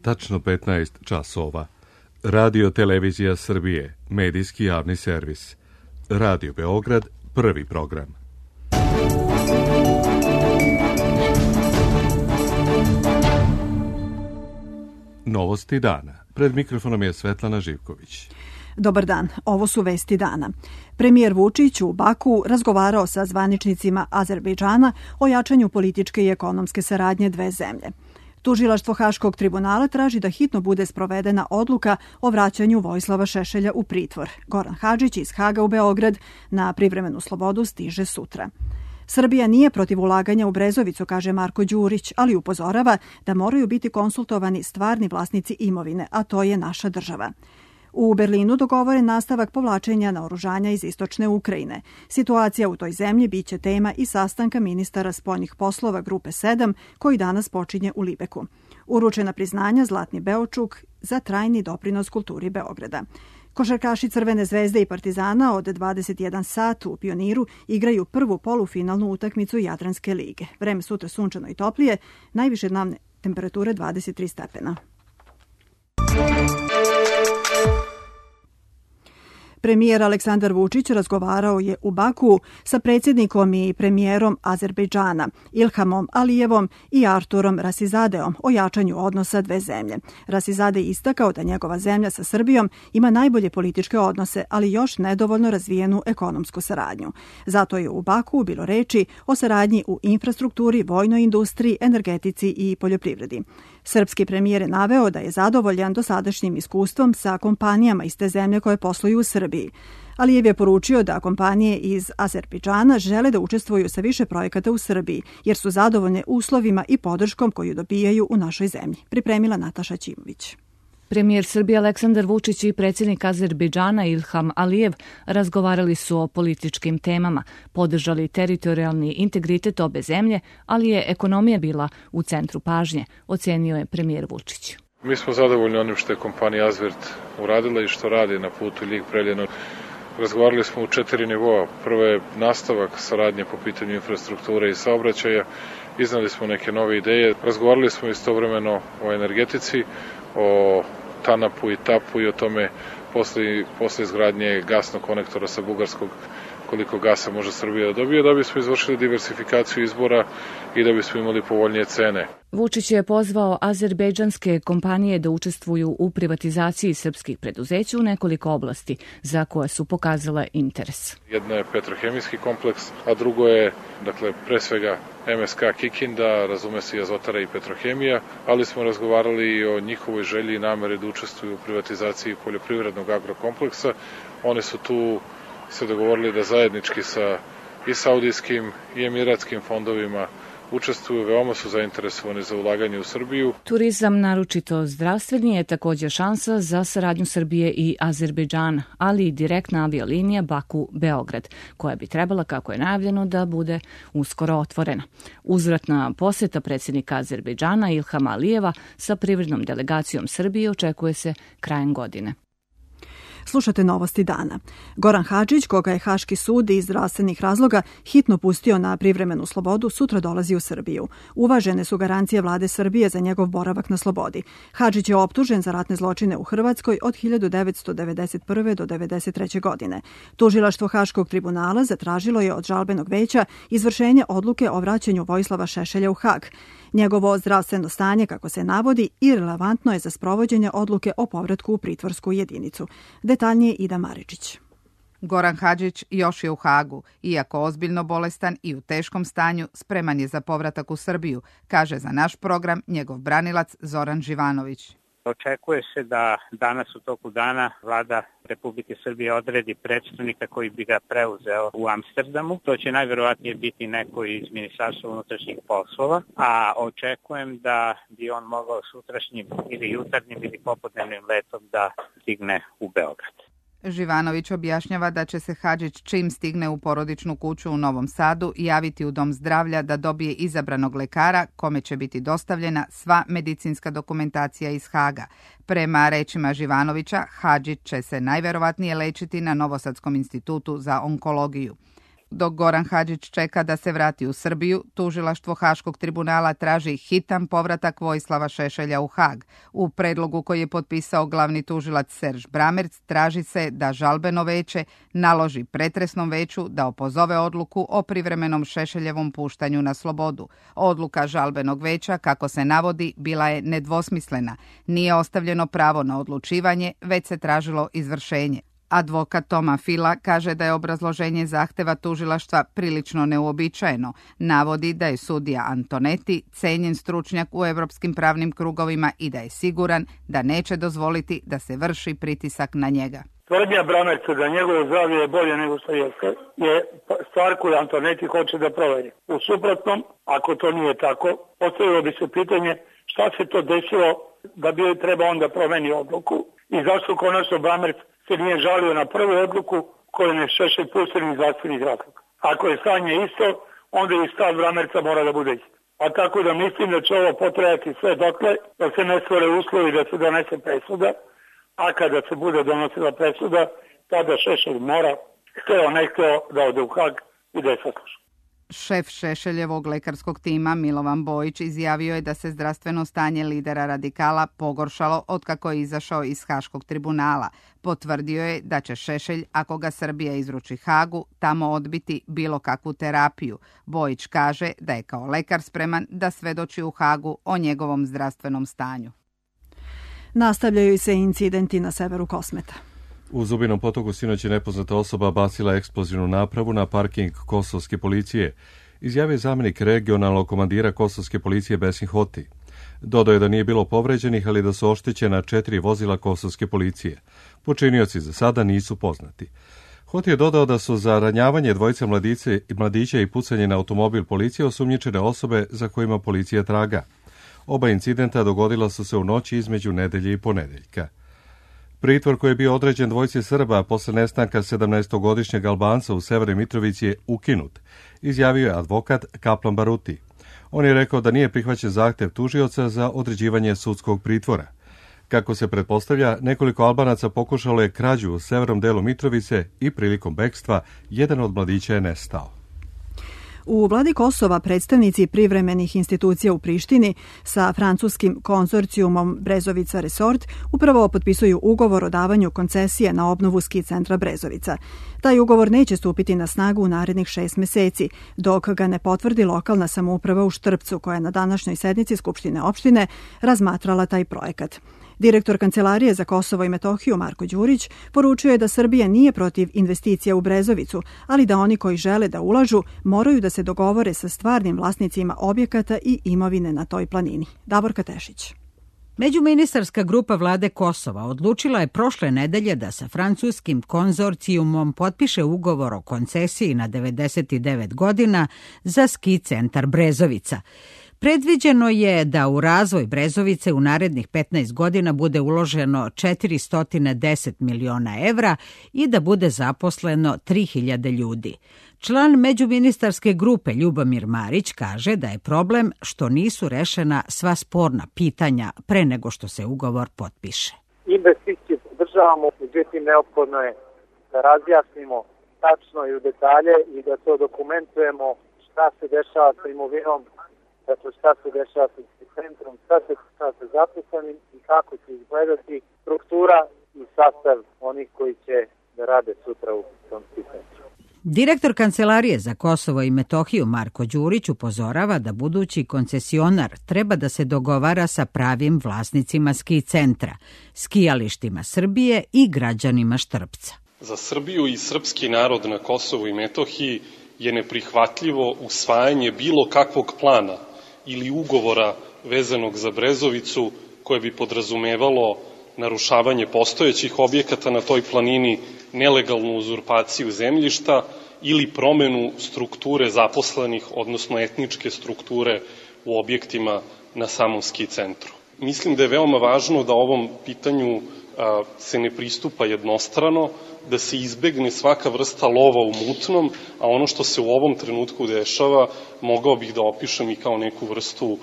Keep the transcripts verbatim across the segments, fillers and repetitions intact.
tačno petnaest časova. Radio Televizija Srbije, medijski javni servis. Radio Beograd, prvi program. Novosti dana. Pred mikrofonom je Svetlana Živković. Dobar dan, ovo su vesti dana. Premijer Vučić u Baku razgovarao sa zvaničnicima Azerbejdžana o jačanju političke i ekonomske saradnje dve zemlje. Tužilaštvo Haškog tribunala traži da hitno bude sprovedena odluka o vraćanju Vojislava Šešelja u pritvor. Goran Hadžić iz Haga u Beograd na privremenu slobodu stiže sutra. Srbija nije protiv ulaganja u Brezovicu, kaže Marko Đurić, ali upozorava da moraju biti konsultovani stvarni vlasnici imovine, a to je naša država. U Berlinu dogovoren nastavak povlačenja naoružanja iz istočne Ukrajine. Situacija u toj zemlji biće tema i sastanka ministara spoljnih poslova Grupe sedam, koji danas počinje u Libeku. Uručena priznanja Zlatni Beočuk za trajni doprinos kulturi Beograda. Košarkaši Crvene zvezde i Partizana od dvadeset jedan sat u Pioniru igraju prvu polufinalnu utakmicu Jadranske lige. Vreme sutra sunčano i toplije, najviše dnevne temperature dvadeset tri stepena. Premijer Aleksandar Vučić razgovarao je u Baku sa predsjednikom i premijerom Azerbejdžana Ilhamom Alijevom i Arturom Rasizadeom o jačanju odnosa dve zemlje. Rasizade je istakao da njegova zemlja sa Srbijom ima najbolje političke odnose, ali još nedovoljno razvijenu ekonomsku saradnju. Zato je u Baku bilo reči o saradnji u infrastrukturi, vojnoj industriji, energetici i poljoprivredi. Srpski premijer je naveo da je zadovoljan dosadašnjim iskustvom sa kompanijama iz te zemlje koje posluju u Srbiji. Alijev je poručio da kompanije iz Azerbejdžana žele da učestvuju sa više projekata u Srbiji, jer su zadovoljne uslovima i podrškom koju dobijaju u našoj zemlji. Pripremila Nataša Ćimović. Premijer Srbije Aleksandar Vučić i predsjednik Azerbejdžana Ilham Alijev razgovarali su o političkim temama, podržali teritorijalni integritet obe zemlje, ali je ekonomija bila u centru pažnje, ocenio je premijer Vučić. Mi smo zadovoljni onim što je kompanija Azvert uradila i što radi na putu Ljig-Preljina. Razgovarali smo u četiri nivoa. Prvo je nastavak saradnje po pitanju infrastrukture i saobraćaja. Iznali smo neke nove ideje. Razgovarali smo istovremeno o energetici, o Tanapu i Tapu i o tome posle, posle izgradnje gasnog konektora sa Bugarskog koliko gasa može Srbija da dobije, da bismo izvršili diversifikaciju izbora i da bismo imali povoljnije cene. Vučić je pozvao azerbejdžanske kompanije da učestvuju u privatizaciji srpskih preduzeća u nekoliko oblasti za koje su pokazale interes. Jedna je petrohemijski kompleks, a drugo je, dakle, pre svega em es ka Kikinda, razume se i Azotara i Petrohemija, ali smo razgovarali i o njihovoj želji i nameri da učestvuju u privatizaciji poljoprivrednog agrokompleksa. Oni su tu se dogovorili da zajednički sa i saudijskim i emiratskim fondovima učestvuju, veoma su zainteresovani za ulaganje u Srbiju. Turizam, naročito zdravstveni, je također šansa za saradnju Srbije i Azerbejdžana, ali i direktna aviolinija Baku-Beograd, koja bi trebala, kako je najavljeno, da bude uskoro otvorena. Uzvratna posjeta predsjednika Azerbejdžana Ilhama Alijeva sa privrednom delegacijom Srbije očekuje se krajem godine. Slušate novosti dana. Goran Hadžić, koga je Haški sud iz zdravstvenih razloga hitno pustio na privremenu slobodu, sutra dolazi u Srbiju. Uvažene su garancije vlade Srbije za njegov boravak na slobodi. Hadžić je optužen za ratne zločine u Hrvatskoj od hiljadu devetsto devedeset prve do devedeset treće godine. Tužilaštvo Haškog tribunala zatražilo je od žalbenog veća izvršenje odluke o vraćanju Vojislava Šešelja u Hag. Njegovo zdravstveno stanje, kako se navodi, irelevantno je za sprovođenje odluke o povratku u pritvorsku jedinicu. Detaljnije Ida Maričić. Goran Hadžić još je u Hagu. Iako ozbiljno bolestan i u teškom stanju, spreman je za povratak u Srbiju, kaže za naš program njegov branilac Zoran Živanović. Očekuje se da danas u toku dana vlada Republike Srbije odredi predstavnika koji bi ga preuzeo u Amsterdamu. To će najverovatnije biti neko iz Ministarstva unutrašnjih poslova, a očekujem da bi on mogao sutrašnjim ili jutarnjim ili popodnevnim letom da stigne u Beograd. Živanović objašnjava da će se Hadžić čim stigne u porodičnu kuću u Novom Sadu javiti u dom zdravlja da dobije izabranog lekara kome će biti dostavljena sva medicinska dokumentacija iz Haga. Prema rečima Živanovića, Hadžić će se najverovatnije lečiti na Novosadskom institutu za onkologiju. Dok Goran Hadžić čeka da se vrati u Srbiju, tužilaštvo Haškog tribunala traži hitan povratak Vojislava Šešelja u Hag. U predlogu koji je potpisao glavni tužilac Serž Bramerc traži se da žalbeno veće naloži pretresnom veću da opozove odluku o privremenom Šešeljevom puštanju na slobodu. Odluka žalbenog veća, kako se navodi, bila je nedvosmislena. Nije ostavljeno pravo na odlučivanje, već se tražilo izvršenje. Advokat Toma Fila kaže da je obrazloženje zahteva tužilaštva prilično neuobičajeno. Navodi da je sudija Antonetti cenjen stručnjak u evropskim pravnim krugovima i da je siguran da neće dozvoliti da se vrši pritisak na njega. Tvrdnja Bramerca da njegovo zdravlje je bolje nego što jeste je stvar koju Antonetti hoće da proveri. U suprotnom, ako to nije tako, postavilo bi se pitanje šta se to desilo da bi treba onda promeni odluku i zašto konačno Bramerc se nije žalio na prvu odluku koju ne Šešelj pušten iz zdravstvenih razloga. Ako je stanje isto, onda i stav Bramerca mora da bude isto. A tako da mislim da će ovo potrajati sve dokle, da se ne stvore uslovi da se donese presuda, a kada se bude donosila presuda, tada Šešelj mora, hteo ne hteo, da ode u Hag i da je sasluša. Šef Šešeljevog lekarskog tima Milovan Bojić izjavio je da se zdravstveno stanje lidera radikala pogoršalo otkako je izašao iz Haškog tribunala. Potvrdio je da će Šešelj, ako ga Srbija izruči Hagu, tamo odbiti bilo kakvu terapiju. Bojić kaže da je kao lekar spreman da svedoči u Hagu o njegovom zdravstvenom stanju. Nastavljaju se incidenti na severu Kosmeta. U Zubinom Potoku sinoć je nepoznata osoba bacila eksplozivnu napravu na parking kosovske policije, izjavio zamjenik regionalnog komandira kosovske policije Besim Hoti. Dodao je da nije bilo povređenih, ali da su oštećena četiri vozila kosovske policije. Počinioci za sada nisu poznati. Hoti je dodao da su za ranjavanje dvojice mladice, mladića i pucanje na automobil policije osumnjičene osobe za kojima policija traga. Oba incidenta dogodila su se u noći između nedelje i ponedeljka. Pritvor koji je bio određen dvojici Srba posle nestanka sedamnaestogodišnjeg Albanca u Severnoj Mitrovici je ukinut, izjavio je advokat Kaplan Baruti. On je rekao da nije prihvaćen zahtev tužioca za određivanje sudskog pritvora. Kako se pretpostavlja, nekoliko Albanaca pokušalo je krađu u severnom delu Mitrovice i prilikom bekstva jedan od mladića je nestao. U vladi Kosova predstavnici privremenih institucija u Prištini sa francuskim konzorcijumom Brezovica Resort upravo potpisuju ugovor o davanju koncesije na obnovu ski centra Brezovica. Taj ugovor neće stupiti na snagu u narednih šest meseci, dok ga ne potvrdi lokalna samouprava u Štrpcu, koja je na današnjoj sednici Skupštine opštine razmatrala taj projekat. Direktor Kancelarije za Kosovo i Metohiju Marko Đurić poručio je da Srbija nije protiv investicija u Brezovicu, ali da oni koji žele da ulažu moraju da se dogovore sa stvarnim vlasnicima objekata i imovine na toj planini. Davorka Tešić. Međuministarska grupa vlade Kosova odlučila je prošle nedelje da sa francuskim konzorcijumom potpiše ugovor o koncesiji na devedeset devet godina za ski centar Brezovica. Predviđeno je da u razvoj Brezovice u narednih petnaest godina bude uloženo četiristo deset miliona evra i da bude zaposleno tri hiljade ljudi. Član međuministarske grupe Ljubomir Marić kaže da je problem što nisu rešena sva sporna pitanja pre nego što se ugovor potpiše. Investicije podržavamo, međutim neophodno je da razjasnimo tačno i u detalje i da to dokumentujemo šta se dešava sa imovinom, dakle šta se dešava sa centrom, šta se dešava sa zaposlenim i kako će izgledati struktura i sastav onih koji će da rade sutra u tom centru. Direktor Kancelarije za Kosovo i Metohiju Marko Đurić upozorava da budući koncesionar treba da se dogovara sa pravim vlasnicima ski centra, skijalištima Srbije i građanima Štrpca. Za Srbiju i srpski narod na Kosovu i Metohiji je neprihvatljivo usvajanje bilo kakvog plana ili ugovora vezanog za Brezovicu koje bi podrazumevalo narušavanje postojećih objekata na toj planini, nelegalnu uzurpaciju zemljišta ili promenu strukture zaposlenih, odnosno etničke strukture u objektima na samom ski centru. Mislim da je veoma važno da ovom pitanju a, se ne pristupa jednostrano, da se izbegne svaka vrsta lova u mutnom, a ono što se u ovom trenutku dešava mogao bih da opišem i kao neku vrstu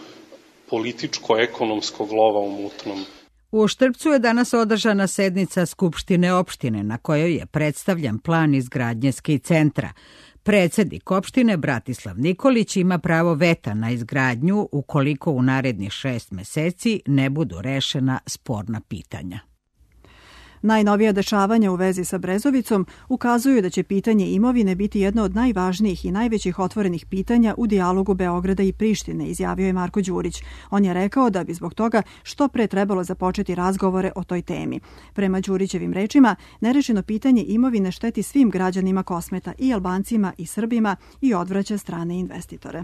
političko-ekonomskog lova u mutnom. U Štrpcu je danas održana sednica Skupštine opštine na kojoj je predstavljan plan izgradnje ski centra. Predsednik opštine Bratislav Nikolić ima pravo veta na izgradnju ukoliko u narednih šest meseci ne budu rešena sporna pitanja. Najnovija dešavanja u vezi sa Brezovicom ukazuju da će pitanje imovine biti jedno od najvažnijih i najvećih otvorenih pitanja u dijalogu Beograda i Prištine, izjavio je Marko Đurić. On je rekao da bi zbog toga što pre trebalo započeti razgovore o toj temi. Prema Đurićevim rečima, nerešeno pitanje imovine šteti svim građanima Kosmeta, i Albancima i Srbima, i odvraća strane investitore.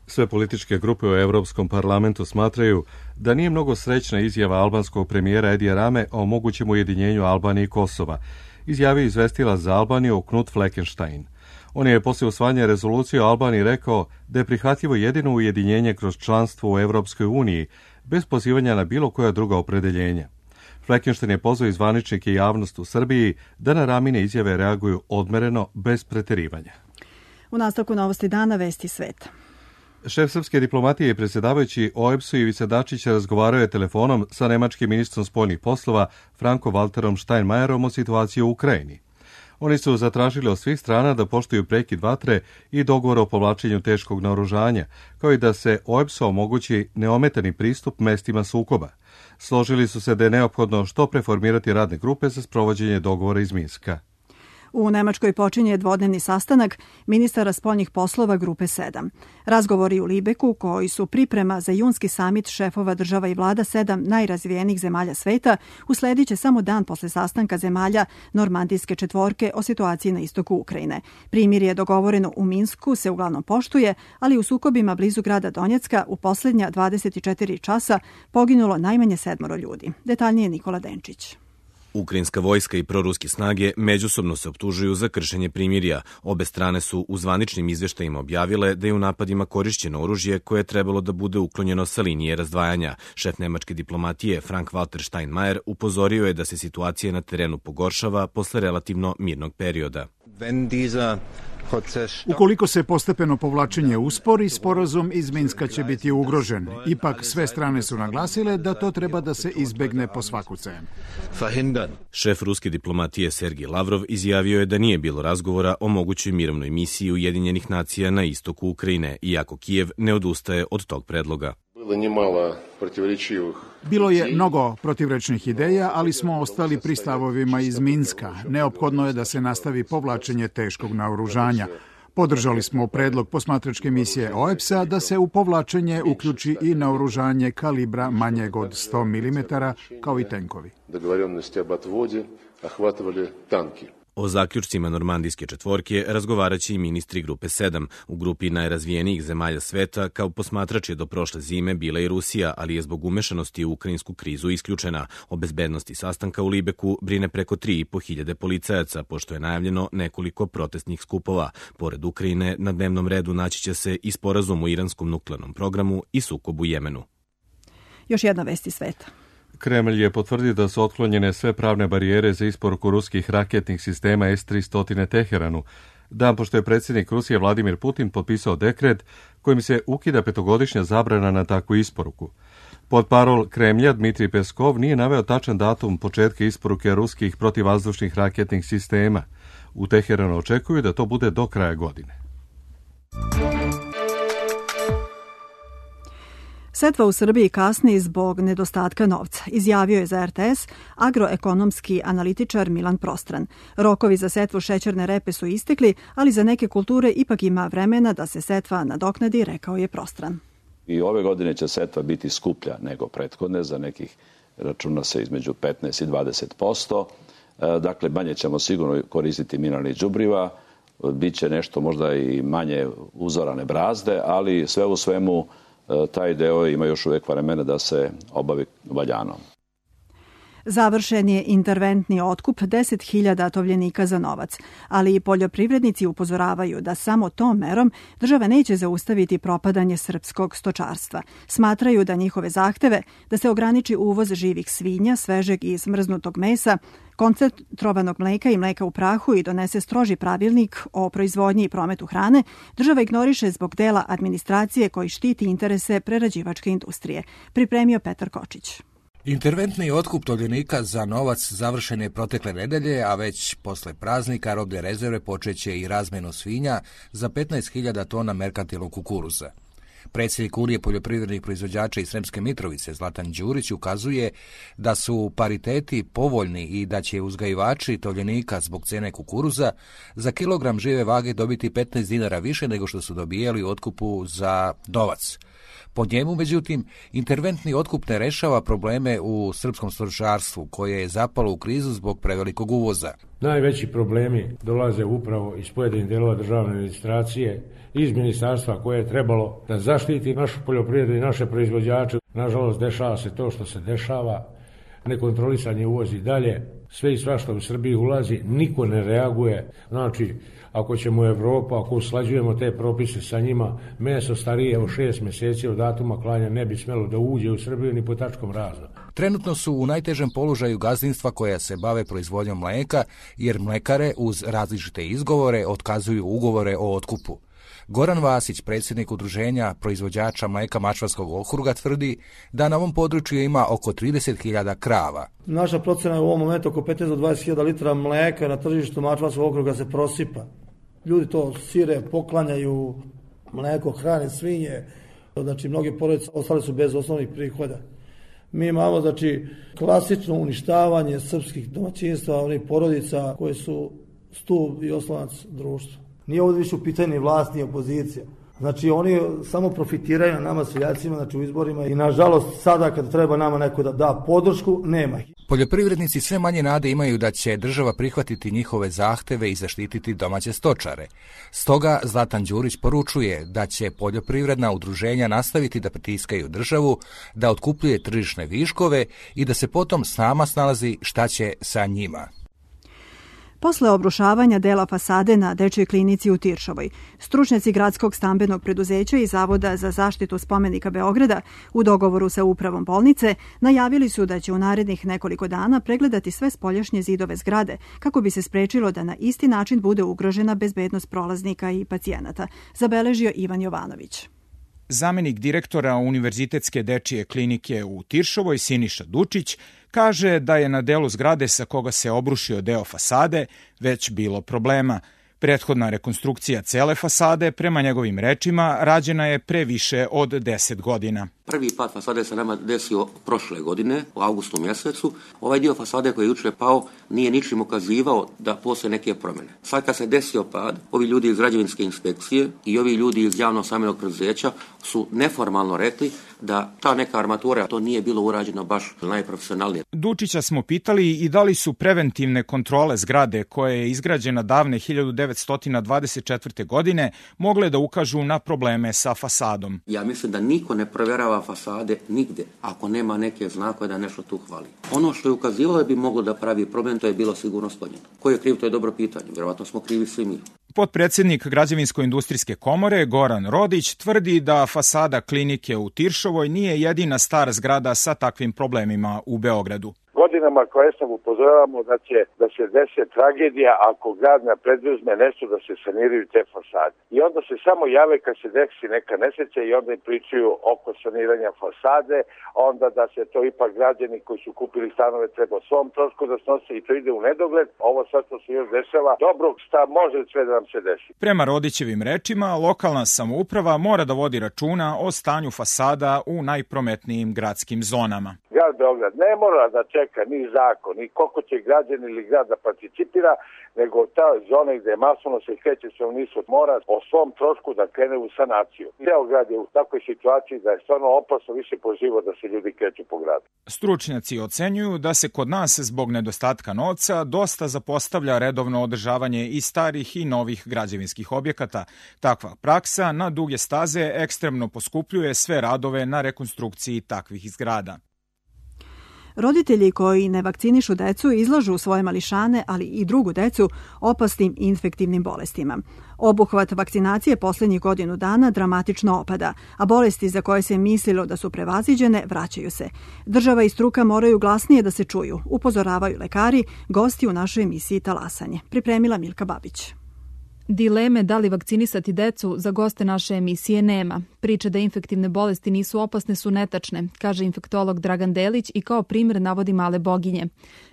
Sve političke grupe u Evropskom parlamentu smatraju da nije mnogo srećna izjava albanskog premijera Edija Rame o mogućem ujedinjenju Albanije i Kosova, izjavio izvestilac za Albaniju Knut Fleckenstein. On je posle usvajanja rezolucije o Albaniji rekao da je prihvatljivo jedino ujedinjenje kroz članstvo u Evropskoj uniji, bez pozivanja na bilo koja druga opredeljenja. Fleckenstein je pozvao i zvaničnike i javnost u Srbiji da na Ramine izjave reaguju odmereno, bez preterivanja. U nastavku Novosti dana, vesti sveta. Šef srpske diplomatije i predsjedavajući O E B S-u Ivica Dačić razgovarao je telefonom sa nemačkim ministrom spoljnih poslova Franko Walterom Steinmeierom o situaciji u Ukrajini. Oni su zatražili od svih strana da poštuju prekid vatre i dogovor o povlačenju teškog naoružanja, kao i da se O E B S-u omogući neometani pristup mestima sukoba. Složili su se da je neophodno što preformirati radne grupe za sprovođenje dogovora iz Minska. U Nemačkoj počinje dvodnevni sastanak ministara spoljnih poslova Grupe sedam. Razgovori u Libeku, koji su priprema za junski samit šefova država i vlada sedam najrazvijenijih zemalja sveta, usledit će samo dan posle sastanka zemalja Normandijske četvorke o situaciji na istoku Ukrajine. Primirje dogovoreno u Minsku se uglavnom poštuje, ali u sukobima blizu grada Donjecka u posljednja dvadeset četiri časa poginulo najmanje sedmoro ljudi. Detaljnije Nikola Denčić. Ukrajinska vojska i proruske snage međusobno se optužuju za kršenje primirja. Obe strane su u zvaničnim izveštajima objavile da je u napadima korišćeno oružje koje je trebalo da bude uklonjeno sa linije razdvajanja. Šef nemačke diplomatije Frank Walter Steinmeier upozorio je da se situacija na terenu pogoršava posle relativno mirnog perioda. Ukoliko se postepeno povlačenje uspori, sporazum iz Minska će biti ugrožen. Ipak sve strane su naglasile da to treba da se izbegne po svaku cenu. Šef ruske diplomatije Sergij Lavrov izjavio je da nije bilo razgovora o mogućoj mirovnoj misiji Ujedinjenih nacija na istoku Ukrajine, iako Kijev ne odustaje od tog predloga. Bilo je mnogo protivrečnih ideja, ali smo ostali pri stavovima iz Minska. Neophodno je da se nastavi povlačenje teškog naoružanja. Podržali smo predlog posmatračke misije O E B S-a da se u povlačenje uključi i naoružanje kalibra manjeg od sto milimetara, kao i tenkovi. O zaključcima Normandijske četvorke razgovaraće i ministri Grupe sedam. U grupi najrazvijenijih zemalja sveta kao posmatrač je do prošle zime bila i Rusija, ali je zbog umešanosti u ukrajinsku krizu isključena. O bezbednosti sastanka u Libeku brine preko tri i po hiljade policajaca, pošto je najavljeno nekoliko protestnih skupova. Pored Ukrajine, na dnevnom redu naći će se i sporazum o iranskom nuklearnom programu i sukob u Jemenu. Još jedna vesti sveta. Kremlj je potvrdio da su otklonjene sve pravne barijere za isporuku ruskih raketnih sistema S tristo Teheranu, dan pošto je predsjednik Rusije Vladimir Putin potpisao dekret kojim se ukida petogodišnja zabrana na takvu isporuku. Portparol Kremlja Dmitrij Peskov nije naveo tačan datum početka isporuke ruskih protivvazdušnih raketnih sistema. U Teheranu očekuju da to bude do kraja godine. Setva u Srbiji kasni zbog nedostatka novca, izjavio je za R T S agroekonomski analitičar Milan Prostran. Rokovi za setvu šećerne repe su istekli, ali za neke kulture ipak ima vremena da se setva nadoknadi, rekao je Prostran. I ove godine će setva biti skuplja nego prethodne, za nekih računa se između petnaest i dvadeset posto. Dakle, manje ćemo sigurno koristiti mineralnih đubriva, biće nešto možda i manje uzorane brazde, ali sve u svemu taj deo ima još uvijek vremena da se obavi valjano. Završen je interventni otkup deset hiljada tovljenika za novac, ali i poljoprivrednici upozoravaju da samo tom merom država neće zaustaviti propadanje srpskog stočarstva. Smatraju da njihove zahteve da se ograniči uvoz živih svinja, svežeg i smrznutog mesa, koncentrovanog mleka i mleka u prahu i donese stroži pravilnik o proizvodnji i prometu hrane, država ignoriše zbog dela administracije koji štiti interese prerađivačke industrije. Pripremio Petar Kočić. Interventni otkup tovljenika za novac završen je protekle nedelje, a već posle praznika robne rezerve počeće i razmenu svinja za petnaest hiljada tona merkantilnog kukuruza. Predsjednik Unije poljoprivrednih proizvođača iz Sremske Mitrovice, Zlatan Đurić, ukazuje da su pariteti povoljni i da će uzgajivači tovljenika zbog cene kukuruza za kilogram žive vage dobiti petnaest dinara više nego što su dobijali u otkupu za novac. Po njemu, međutim, interventni otkup ne rešava probleme u srpskom stočarstvu, koje je zapalo u krizu zbog prevelikog uvoza. Najveći problemi dolaze upravo iz pojedinih delova državne administracije, iz ministarstva koje je trebalo da zaštiti našu poljoprivredu i naše proizvođače. Nažalost, dešava se to što se dešava, nekontrolisanje uvozi dalje, sve i svašta u Srbiji ulazi, niko ne reaguje. Znači, ako ćemo u Evropu, ako usklađujemo te propise sa njima, meso starije od šest mjeseci od datuma klanja ne bi smelo da uđe u Srbiju ni po tačkom razno. Trenutno su u najtežem položaju gazdinstva koja se bave proizvodnjom mleka, jer mlekare uz različite izgovore otkazuju ugovore o otkupu. Goran Vasić, predsjednik udruženja proizvođača mleka Mačvanskog okruga, tvrdi da na ovom području ima oko trideset hiljada krava. Naša procena je u ovom momentu oko petnaest do dvadeset hiljada litara mleka na tržištu Mačvanskog okruga se prosipa. Ljudi to sire, poklanjaju, mleko, hrane, svinje, znači mnogi porodice ostali su bez osnovnih prihoda. Mi imamo znači klasično uništavanje srpskih domaćinstva, onih porodica koje su stup i oslonac društva. Nije ovdje više u pitanju vlast, ni opozicija. Znači oni samo profitiraju na nama seljacima, znači u izborima i nažalost sada kad treba nama neko da da podršku, nema. Poljoprivrednici sve manje nade imaju da će država prihvatiti njihove zahteve i zaštititi domaće stočare. Stoga Zlatan Đurić poručuje da će poljoprivredna udruženja nastaviti da pritiskaju državu, da otkupljuje tržišne viškove i da se potom sama snalazi šta će sa njima. Posle obrušavanja dela fasade na dečjoj klinici u Tiršovoj, stručnjaci Gradskog stambenog preduzeća i Zavoda za zaštitu spomenika Beograda u dogovoru sa upravom bolnice najavili su da će u narednih nekoliko dana pregledati sve spoljašnje zidove zgrade kako bi se sprečilo da na isti način bude ugrožena bezbednost prolaznika i pacijenata, zabeležio Ivan Jovanović. Zamenik direktora Univerzitetske dečije klinike u Tiršovoj, Siniša Dučić, kaže da je na delu zgrade sa koga se obrušio deo fasade već bilo problema. Prethodna rekonstrukcija cele fasade, prema njegovim rečima, rađena je pre više od deset godina. Prvi pad fasade se nama desio prošle godine, u avgustu mjesecu. Ovaj dio fasade koji je jučer pao nije ničim ukazivao da postoje neke promjene. Sad kad se desio pad, ovi ljudi iz građevinske inspekcije i ovi ljudi iz javnog stambenog preduzeća su neformalno rekli da ta neka armatura, to nije bilo urađeno baš najprofesionalnije. Dučića smo pitali i da li su preventivne kontrole zgrade koja je izgrađena davne hiljadu devetsto dvadeset četvrte. godine mogle da ukažu na probleme sa fasadom. Ja mislim da niko ne provjerava fasade nigde ako nema neke znakove da nešto tu hvali. Ono što je ukazivalo da bi moglo da pravi problem, to je bilo sigurno sklonjeno. Ko je kriv, to je dobro pitanje. Vjerovatno smo krivi svi mi. Potpredsjednik Građevinsko-industrijske komore Goran Rodić tvrdi da fasada klinike u Tiršovoj nije jedina stara zgrada sa takvim problemima u Beogradu. Godinama koje sam upozoravamo da će da se desi tragedija ako grad ne preduzme nešto da se saniraju te fasade. I onda se samo jave kad se desi neka nesreća i onda im pričaju oko saniranja fasade, onda da se to ipak građani koji su kupili stanove treba o svom trošku da snose i to ide u nedogled. Ovo sad što se još dešava, dobro, šta može sve da nam se desi. Prema Rodićevim rečima, lokalna samouprava mora da vodi računa o stanju fasada u najprometnijim gradskim zonama. Grad Beograd ne mora da čeka ni zakon, ni koliko će građani ili grad da participira, nego ta zona gde masovno se kreće stanovništvo mora o svom trošku da krene u sanaciju. Ceo grad je u takvoj situaciji da je stvarno opasno više po život da se ljudi kreću po gradu. Stručnjaci ocenjuju da se kod nas zbog nedostatka novca dosta zapostavlja redovno održavanje i starih i novih građevinskih objekata. Takva praksa na duge staze ekstremno poskupljuje sve radove na rekonstrukciji takvih zgrada. Roditelji koji ne vakcinišu decu izlažu svoje mališane, ali i drugu decu, opasnim infektivnim bolestima. Obuhvat vakcinacije posljednjih godinu dana dramatično opada, a bolesti za koje se mislilo da su prevaziđene vraćaju se. Država i struka moraju glasnije da se čuju, upozoravaju lekari, gosti u našoj emisiji Talasanje. Pripremila Milka Babić. Dileme da li vakcinisati decu za goste naše emisije nema. Priče da infektivne bolesti nisu opasne su netačne, kaže infektolog Dragan Delić i kao primjer navodi male boginje.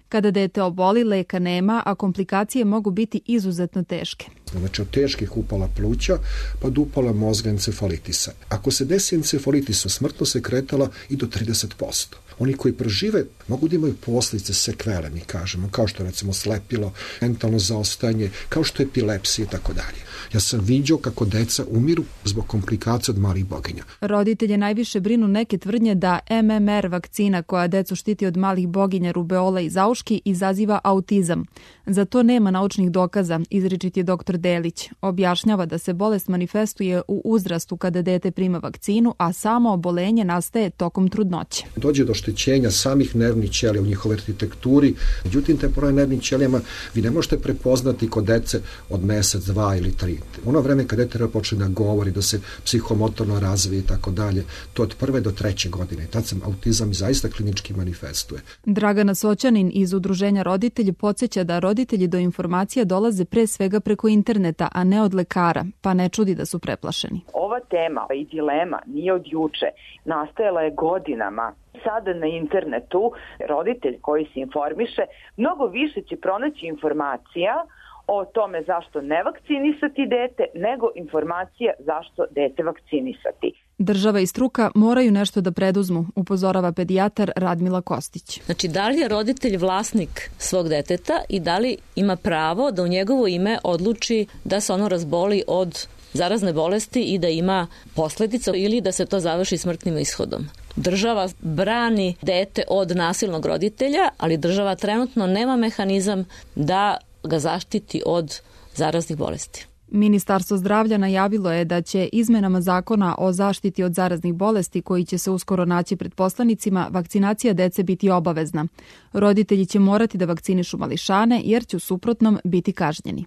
Kada dete oboli, leka nema, a komplikacije mogu biti izuzetno teške. Znači od teških upala pluća pa do upala mozga encefalitisa. Ako se desi encefalitis, smrtno se kretala i do trideset posto. Oni koji prežive mogu da imaju posljedice sekvele, mi kažemo, kao što recimo slepilo, mentalno zaostajanje, kao što je epilepsija i tako dalje. Ja sam viđao kako deca umiru zbog komplikacija od malih boginja. Roditelje najviše brinu neke tvrdnje da M M R vakcina koja decu štiti od malih boginja, rubeola i zauški izaziva autizam. Za to nema naučnih dokaza, izričit je doktor Delić. Objašnjava da se bolest manifestuje u uzrastu kada dete prima vakcinu, a samo obolenje nastaje tokom trudnoće. Dođe do oštećenja samih nervnih ćelija u njihovoj arhitekturi. Međutim, te poroje nervnim ćelijama vi ne možete prepoznati kod dece od mesec, dva ili tri. Ono vreme kad dete počne da govori, da se psihomotorno razvije i tako dalje, to od prve do treće godine. Tad se autizam zaista klinički manifestuje. Dragana Soćanin iz Udruženja roditelji podsjeća da roditelji do informacija dolaze pre svega preko interneta, a ne od lekara, pa ne čudi da su preplašeni. Ova tema i dilema nije od juče, nastajala je godinama. Sada na internetu roditelj koji se informiše mnogo više će pronaći informacija o tome zašto ne vakcinisati dete, nego informacija zašto dete vakcinisati. Država i struka moraju nešto da preduzmu, upozorava pedijatar Radmila Kostić. Znači, da li je roditelj vlasnik svog deteta i da li ima pravo da u njegovo ime odluči da se ono razboli od zarazne bolesti i da ima posljedica ili da se to završi smrtnim ishodom. Država brani dete od nasilnog roditelja, ali država trenutno nema mehanizam da ga zaštiti od zaraznih bolesti. Ministarstvo zdravlja najavilo je da će izmenama zakona o zaštiti od zaraznih bolesti koji će se uskoro naći pred poslanicima, vakcinacija dece biti obavezna. Roditelji će morati da vakcinišu mališane jer će u suprotnom biti kažnjeni.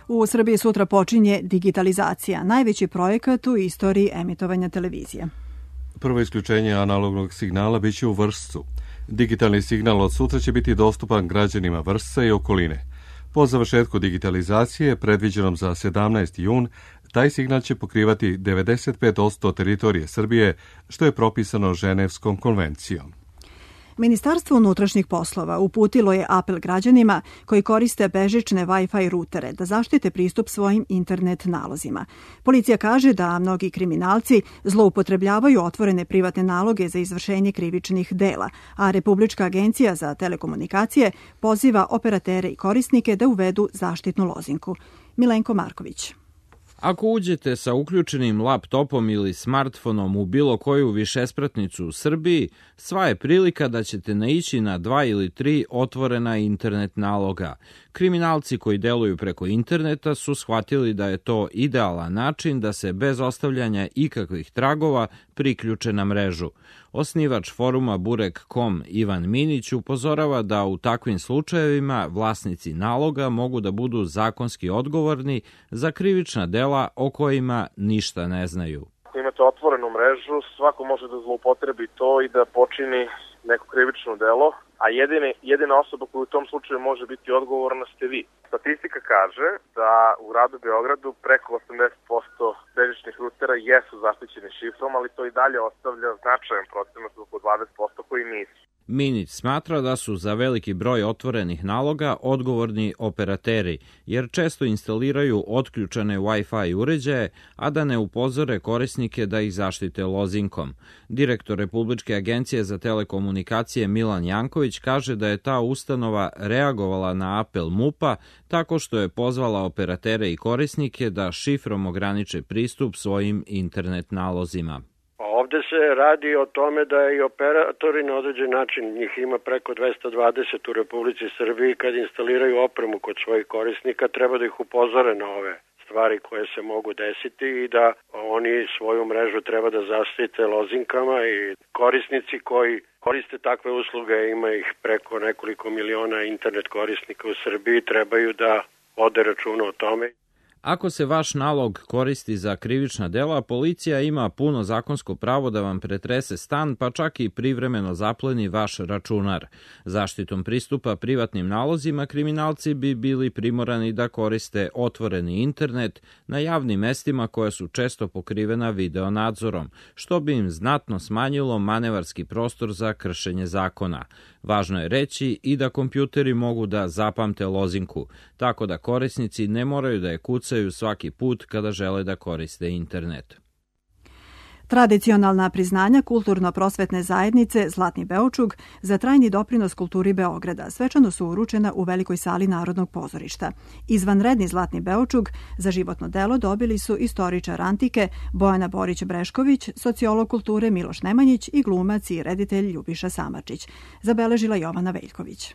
U Srbiji sutra počinje digitalizacija, najveći projekat u istoriji emitovanja televizije. Prvo isključenje analognog signala biće u Vršcu. Digitalni signal od sutra će biti dostupan građanima Vršca i okoline. Po završetku digitalizacije, predviđenom za sedamnaesti jun, taj signal će pokrivati devedeset pet posto teritorije Srbije, što je propisano Ženevskom konvencijom. Ministarstvo unutrašnjih poslova uputilo je apel građanima koji koriste bežične Wi-Fi rutere da zaštite pristup svojim internet nalozima. Policija kaže da mnogi kriminalci zloupotrebljavaju otvorene privatne naloge za izvršenje krivičnih dela, a Republička agencija za telekomunikacije poziva operatere i korisnike da uvedu zaštitnu lozinku. Milenko Marković. Ako uđete sa uključenim laptopom ili smartfonom u bilo koju višespratnicu u Srbiji, sva je prilika da ćete naići na dva ili tri otvorena internet naloga. Kriminalci koji deluju preko interneta su shvatili da je to idealan način da se bez ostavljanja ikakvih tragova priključe na mrežu. Osnivač foruma Burek tačka com Ivan Minić upozorava da u takvim slučajevima vlasnici naloga mogu da budu zakonski odgovorni za krivična dela o kojima ništa ne znaju. Ako imate otvorenu mrežu, svako može da zloupotrebi to i da počini neko krivično delo, a jedine, jedina osoba koja u tom slučaju može biti odgovorna ste vi. Statistika kaže da u gradu Beogradu preko osamdeset posto bežičnih rutera jesu zaštićeni šifrom, ali to i dalje ostavlja značajan procenat oko dvadeset posto koji nisu. Minić smatra da su za veliki broj otvorenih naloga odgovorni operateri, jer često instaliraju otključane Wi-Fi uređaje, a da ne upozore korisnike da ih zaštite lozinkom. Direktor Republičke agencije za telekomunikacije Milan Janković kaže da je ta ustanova reagovala na apel MUP-a tako što je pozvala operatere i korisnike da šifrom ograniče pristup svojim internet nalozima. Ovde se radi o tome da i operatori na određen način, njih ima preko dvesta dvadeset u Republici Srbiji, kad instaliraju opremu kod svojih korisnika, treba da ih upozore na ove stvari koje se mogu desiti i da oni svoju mrežu treba da zaštite lozinkama i korisnici koji koriste takve usluge, ima ih preko nekoliko miliona internet korisnika u Srbiji, trebaju da vode računa o tome. Ako se vaš nalog koristi za krivična dela, policija ima puno zakonsko pravo da vam pretrese stan, pa čak i privremeno zapleni vaš računar. Zaštitom pristupa privatnim nalozima kriminalci bi bili primorani da koriste otvoreni internet na javnim mestima koja su često pokrivena video nadzorom, što bi im znatno smanjilo manevarski prostor za kršenje zakona. Važno je reći i da kompjuteri mogu da zapamte lozinku, tako da korisnici ne moraju da je kucaju svaki put kada žele da koriste internet. Tradicionalna priznanja kulturno-prosvetne zajednice Zlatni Beočug za trajni doprinos kulturi Beograda svečano su uručena u velikoj sali Narodnog pozorišta. Izvanredni Zlatni Beočug za životno delo dobili su istoričar antike Bojana Borić-Brešković, sociolog kulture Miloš Nemanjić i glumac i reditelj Ljubiša Samardžić, zabeležila Jovana Veljković.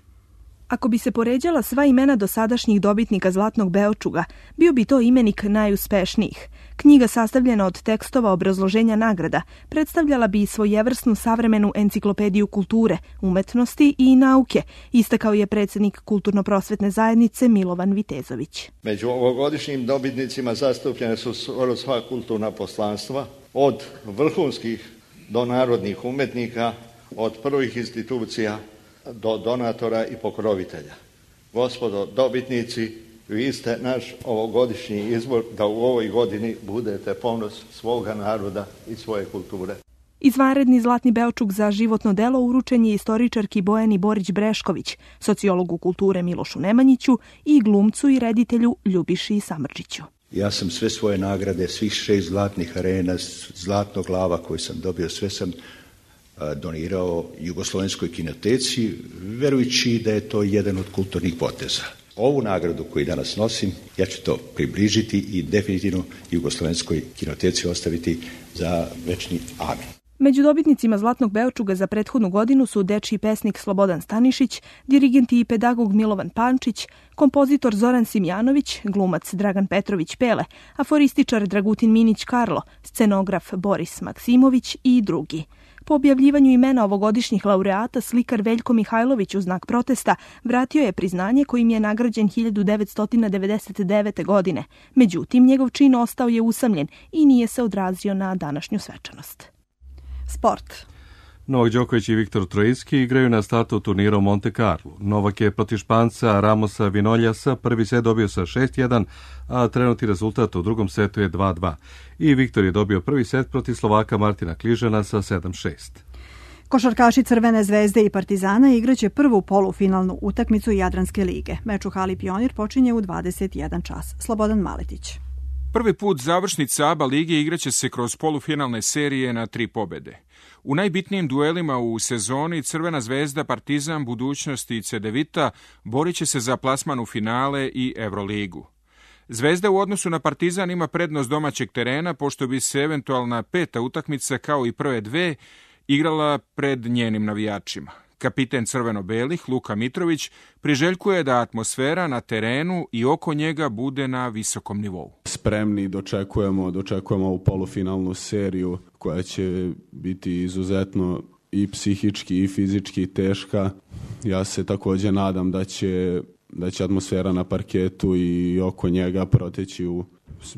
Ako bi se poređala sva imena dosadašnjih dobitnika Zlatnog Beočuga, bio bi to imenik najuspešnijih. Knjiga sastavljena od tekstova obrazloženja nagrada predstavljala bi svojevrsnu savremenu enciklopediju kulture, umetnosti i nauke, istakao je predsjednik Kulturno-prosvetne zajednice Milovan Vitezović. Među ovogodišnjim dobitnicima zastupljene su skoro sva kulturna poslanstva, od vrhunskih do narodnih umetnika, od prvih institucija do donatora i pokrovitelja. Gospodo dobitnici, vi ste naš ovogodišnji izbor da u ovoj godini budete ponos svoga naroda i svoje kulture. Izvanredni Zlatni Beočug za životno delo uručen je istoričarki Bojani Borić-Brešković, sociologu kulture Milošu Nemanjiću i glumcu i reditelju Ljubiši Samardžiću. Ja sam sve svoje nagrade, svih šest zlatnih arena, zlatnog glava koji sam dobio, sve sam donirao Jugoslovenskoj kinoteci, verujući da je to jedan od kulturnih poteza. Ovu nagradu koju danas nosim, ja ću to približiti i definitivno Jugoslovenskoj kinoteci ostaviti za večni amen. Među dobitnicima Zlatnog Beočuga za prethodnu godinu su dečiji pesnik Slobodan Stanišić, dirigent i pedagog Milovan Pančić, kompozitor Zoran Simjanović, glumac Dragan Petrović Pele, aforističar Dragutin Minić Karlo, scenograf Boris Maksimović i drugi. Po objavljivanju imena ovogodišnjih laureata, slikar Veljko Mihajlović u znak protesta vratio je priznanje kojim je nagrađen hiljadu devetsto devedeset devete. godine. Međutim, njegov čin ostao je usamljen i nije se odrazio na današnju svečanost. Sport. Novak Đoković i Viktor Trojicki igraju na startu turnira u Monte Carlo. Novak je protiv Španca Ramosa Vinoljasa prvi set dobio sa šest jedan, a trenutni rezultat u drugom setu je dva dva. I Viktor je dobio prvi set protiv Slovaka Martina Kližana sa sedam šest. Košarkaši Crvene zvezde i Partizana igraće prvu polufinalnu utakmicu Jadranske lige. Meč u hali Pionir počinje u dvadeset jedan čas. Slobodan Maletić. Prvi put završnica A B A lige igraće se kroz polufinalne serije na tri pobede. U najbitnijim duelima u sezoni Crvena zvezda, Partizan, Budućnost i Cedevita borit će se za plasman u finale i Evroligu. Zvezda u odnosu na Partizan ima prednost domaćeg terena, pošto bi se eventualna peta utakmica kao i prve dve igrala pred njenim navijačima. Kapiten crveno-belih Luka Mitrović priželjkuje da atmosfera na terenu i oko njega bude na visokom nivou. Spremni dočekujemo, dočekujemo ovu polufinalnu seriju koja će biti izuzetno i psihički i fizički teška. Ja se također nadam da će, da će atmosfera na parketu i oko njega proteći u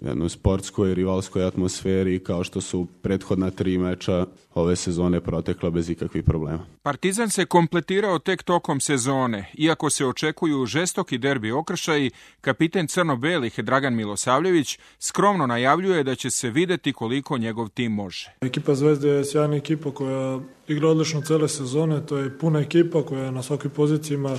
jednoj sportskoj, rivalskoj atmosferi, kao što su prethodna tri meča ove sezone protekla bez ikakvih problema. Partizan se kompletirao tek tokom sezone. Iako se očekuju žestoki derbi okršaji, kapiten crno-belih Dragan Milosavljević skromno najavljuje da će se videti koliko njegov tim može. Ekipa Zvezde je sjajna ekipa koja igra odlično cele sezone, to je puna ekipa koja na svakoj poziciji ima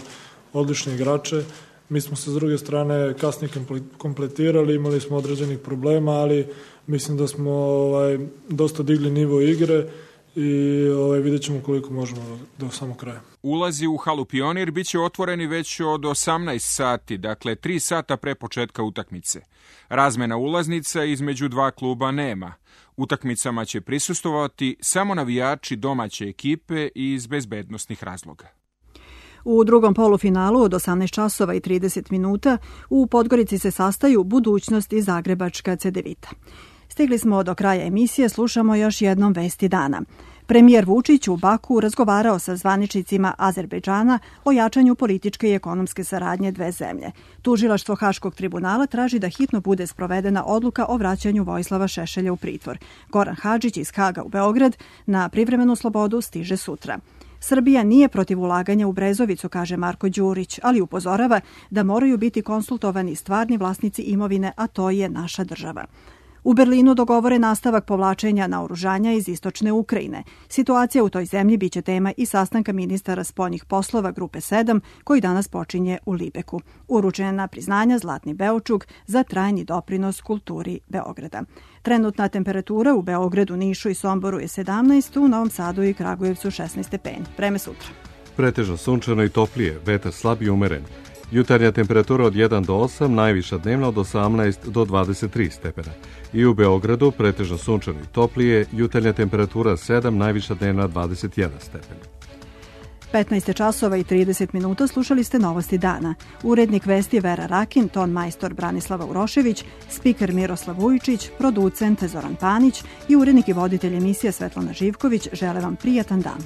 odlične igrače. Mi smo se s druge strane kasnije kompletirali, imali smo određenih problema, ali mislim da smo ovaj, dosta digli nivo igre i ovaj, vidjet ćemo koliko možemo do, do samog kraja. Ulazi u halu Pionir bit će otvoreni već od osamnaest sati, dakle tri sata pre početka utakmice. Razmena ulaznica između dva kluba nema. Utakmicama će prisustvovati samo navijači domaće ekipe iz bezbednosnih razloga. U drugom polufinalu od osamnaest časova i trideset minuta u Podgorici se sastaju Budućnost i Zagrebačka Cedevita. Stigli smo do kraja emisije, slušamo još jednom vesti dana. Premijer Vučić u Baku razgovarao sa zvaničnicima Azerbejdžana o jačanju političke i ekonomske saradnje dve zemlje. Tužilaštvo Haškog tribunala traži da hitno bude sprovedena odluka o vraćanju Vojislava Šešelja u pritvor. Goran Hadžić iz Haga u Beograd na privremenu slobodu stiže sutra. Srbija nije protiv ulaganja u Brezovicu, kaže Marko Đurić, ali upozorava da moraju biti konsultovani stvarni vlasnici imovine, a to je naša država. U Berlinu dogovore nastavak povlačenja naoružanja iz istočne Ukrajine. Situacija u toj zemlji biće tema i sastanka ministara spoljnih poslova Grupe sedam, koji danas počinje u Libeku. Uručena priznanja Zlatni Beočuk za trajni doprinos kulturi Beograda. Trenutna temperatura u Beogradu, Nišu i Somboru je sedamnaest, u Novom Sadu i Kragujevcu šesnaest stepeni. Vreme sutra. Pretežno sunčano i toplije, vetar slab i umeren. Jutarnja temperatura od jedan do osam, najviša dnevna od osamnaest do dvadeset tri stepena. I u Beogradu pretežno sunčano i toplije, jutarnja temperatura sedam, najviša dnevna dvadeset jedan stepen. petnaest časova i trideset minuta slušali ste novosti dana. Urednik vesti Vera Rakin, ton majstor Branislava Urošević, spiker Miroslav Vujčić, producent Zoran Panić i urednik i voditelj emisije Svetlana Živković žele vam prijatan dan.